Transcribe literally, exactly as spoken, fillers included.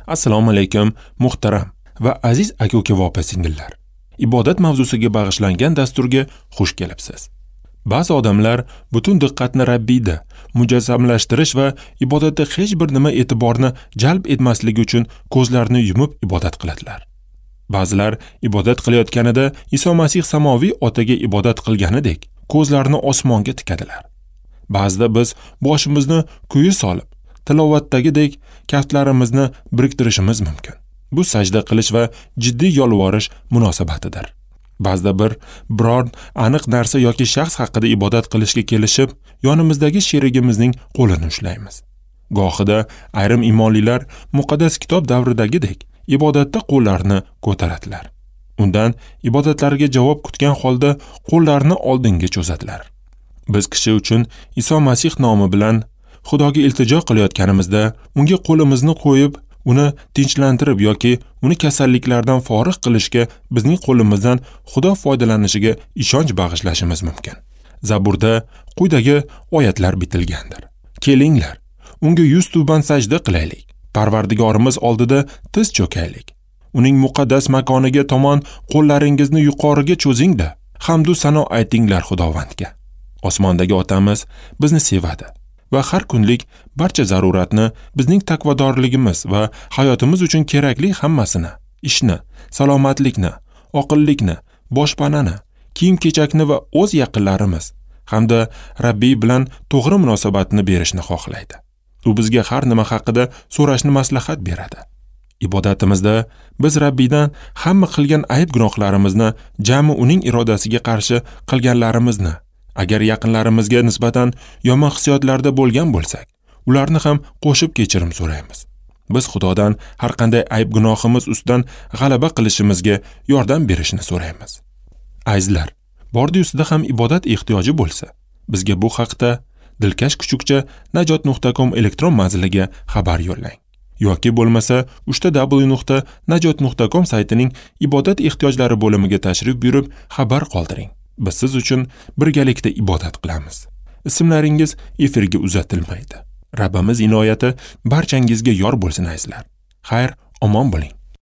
Assalomu alaykum muhtaram va aziz aka-uka va opa-singillar. Ibodat mavzusiga bag'ishlangan dasturga xush kelibsiz. Ba'zi odamlar butun diqqatni Rabbiyda mujassamlashtirish va ibodatda hech bir nima e'tiborni jalb etmasligi uchun ko'zlarini yumib ibodat qiladilar. Ba'zilar ibodat qilayotganida Iso Masih samoviy otaga ibodat qilganidek ko'zlarini osmonga tikadilar. Ba'zida biz boshimizni quyi solib, tilovatdagidek kaftlarimizni biriktirishimiz mumkin. Bu sajda qilish va jiddiy yolvorish munosabatidir. Ba'zida bir biror aniq narsa yoki shaxs haqida ibodat qilishga kelishib, yonimizdagi sherigimizning qo'lini ushlaymiz. Gohida ayrim imonlilar muqaddas kitob davridagidek ibodatda qo'llarini ko'taradilar. Undan ibodatlariga javob kutgan holda qo'llarini oldinga cho'zadilar. Biz kishi uchun Iso Masih nomi bilan Xudoga iltijo qilayotganimizda unga qo'limizni qo'yib, uni tinchlantirib yoki uni kasalliklardan forig' qilishga bizning qo'limizdan Xudo foydalanishiga ishonch bag'ishlashimiz mumkin. Zaburda quyidagi oyatlar bitilgandir. Kelinglar, unga yuz tuban sajda qilaylik. Parvardigorimiz oldida tiz cho'kaylik. Uning muqaddas makoniga tomon qo'llaringizni yuqoriga cho'zing-da, hamd u sano aytinglar Xudovandga. Osmondagi otamiz bizni sevadi va har kunlik barcha zaruratni bizning taqvodorligimiz va hayotimiz uchun kerakli hammasini, ishni, salomatlikni, oqillikni, boshpanani, kiyim-kechakni va o'z yaqinlarimiz hamda Rabbiy bilan to'g'ri munosabatni berishni xohlaydi. U bizga har nima haqida so'rashni maslahat beradi. Ibodatimizda biz Rabbiydan hamma qilgan ayb gunohlarimizni, jami uning irodasiga qarshi qilganlarimizni, agar yaqinlarimizga nisbatan yomon hissiyotlarda bo'lgan bo'lsak, ularni ham qo'shib kechirim so'raymiz. Biz Xudodan har qanday ayb gunohimiz ustidan g'alaba qilishimizga yordam berishini so'raymiz. Azizlar, bordi-ustida ham ibodat ehtiyoji bo'lsa, bizga bu haqda dilkash kuchukcha najot nuqta com elektron manziliga xabar yo'llang. Yoki bo'lmasa uchta w nuqta najot nuqta com saytining ibodat ehtiyojlari bo'limiga tashrif buyurib xabar qoldiring. Biz siz uchun birgalikda ibodat qilamiz. Ismlaringiz efirga uzatilmaydi. Rabbimiz inoyati barchangizga yor bo'lsin azizlar. Xayr, omon bo'ling.